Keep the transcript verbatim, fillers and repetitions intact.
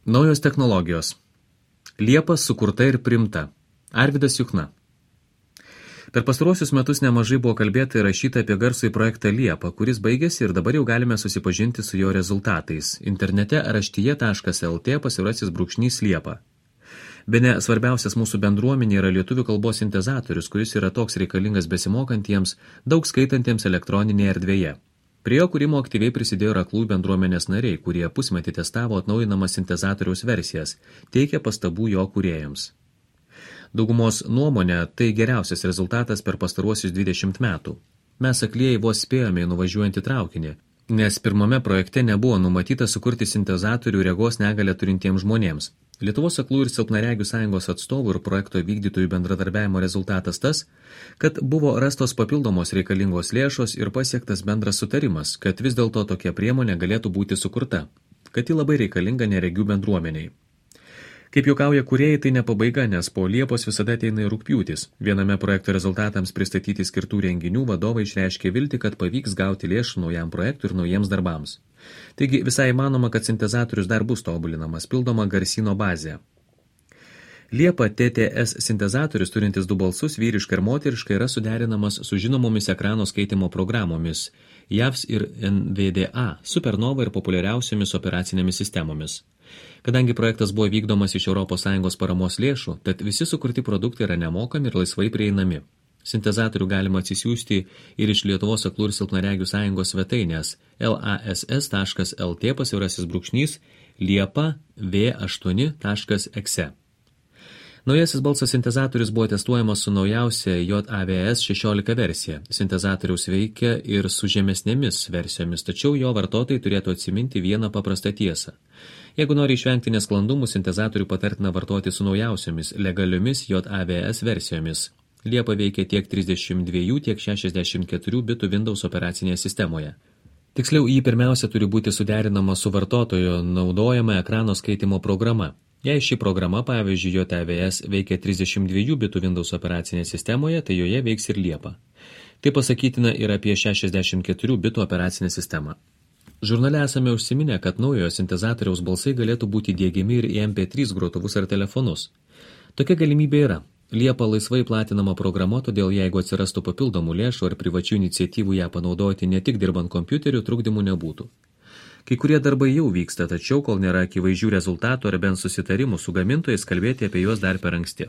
Naujos technologijos. Liepa sukurta ir primta. Arvydas Juchna. Per pastaruosius metus nemažai buvo kalbėta ir rašyta apie garsųjį projektą Liepa, kuris baigėsi ir dabar jau galime susipažinti su jo rezultatais. Internete raštyje taškas el tė pasvirasis brūkšnys Liepa. Bene svarbiausias mūsų bendruomenė yra lietuvių kalbos sintezatorius, kuris yra toks reikalingas besimokantiems, daug skaitantiems elektroninėje erdvėje. Prie jo kūrimo aktyviai prisidėjo ir aklųjų bendruomenės nariai, kurie pusmetį testavo atnaujinamas sintezatoriaus versijas, teikė pastabų jo kūrėjams. Daugumos nuomonė tai geriausias rezultatas per pastaruosius dvidešimt metų. Mes aklieji vos spėjome į nuvažiuojantį traukinį, nes pirmame projekte nebuvo numatyta sukurti sintezatorių regos negalią turintiems žmonėms. Lietuvos aklųjų ir silpnaregių sąjungos atstovų ir projekto vykdytojų bendradarbiavimo rezultatas tas, kad buvo rastos papildomos reikalingos lėšos ir pasiektas bendras sutarimas, kad vis dėlto tokia priemonė galėtų būti sukurta, kad ji labai reikalinga neregių bendruomeniai. Kaip juokauja kūrėjai, tai ne pabaiga, nes po Liepos visada ateina ir rugpjūtis. Viename projekto rezultatams pristatyti skirtų renginių vadovai išreiškė viltį, kad pavyks gauti lėšų naujam projektui ir naujiems darbams. Taigi visai įmanoma, kad sintezatorius dar bus tobulinamas, pildoma garsyno bazė. Liepa T T S sintezatorius turintis du balsus, vyriška ir moteriška, yra suderinamas su žinomomis ekrano skaitimo programomis J A V S ir N V D A, Supernova ir populiariausiomis operacinėmis sistemomis. Kadangi projektas buvo vykdomas iš Europos Sąjungos paramos lėšų, tad visi sukurti produktai yra nemokami ir laisvai prieinami. Sintezatorių galima atsisiųsti ir iš Lietuvos aklų ir silpnaregių sąjungos svetainės lass taškas el tė pasvirasis brūkšnys liepa v aštuoni taškas exe. Naujasis balsas sintezatorius buvo testuojamas su naujausia J A V S šešiolika versija. Sintezatoriaus veikia ir su žemesnėmis versijomis, tačiau jo vartotojai turėtų atsiminti vieną paprastą tiesą. Jeigu nori išvengti nesklandumų, sintezatorių patartina vartoti su naujausiomis, legaliomis J A V S versijomis. Liepa veikia tiek trisdešimt dviejų, tiek šešiasdešimt keturių bitų Windows operacinėje sistemoje. Tiksliau, jį pirmiausia turi būti suderinama su vartotojo naudojama ekrano skaitimo programa. Jei ši programa, pavyzdžiui, J A V S veikia trisdešimt dviejų bitų Windows operacinėje sistemoje, tai joje veiks ir Liepa. Tai pasakytina ir apie šešiasdešimt keturių bitų operacinę sistemą. Žurnale esame užsiminę, kad naujojo sintezatoriaus balsai galėtų būti diegiami ir į M P trys grotuvus ar telefonus. Tokia galimybė yra. Liepa laisvai platinama programa, todėl jeigu atsirastų papildomų lėšų ar privačių iniciatyvų ją panaudoti ne tik dirbant kompiuteriu, trukdymų nebūtų. Kai kurie darbai jau vyksta, tačiau kol nėra akivaizdžių rezultatų ar bent susitarimų su gamintojais, kalbėti apie juos dar per anksti.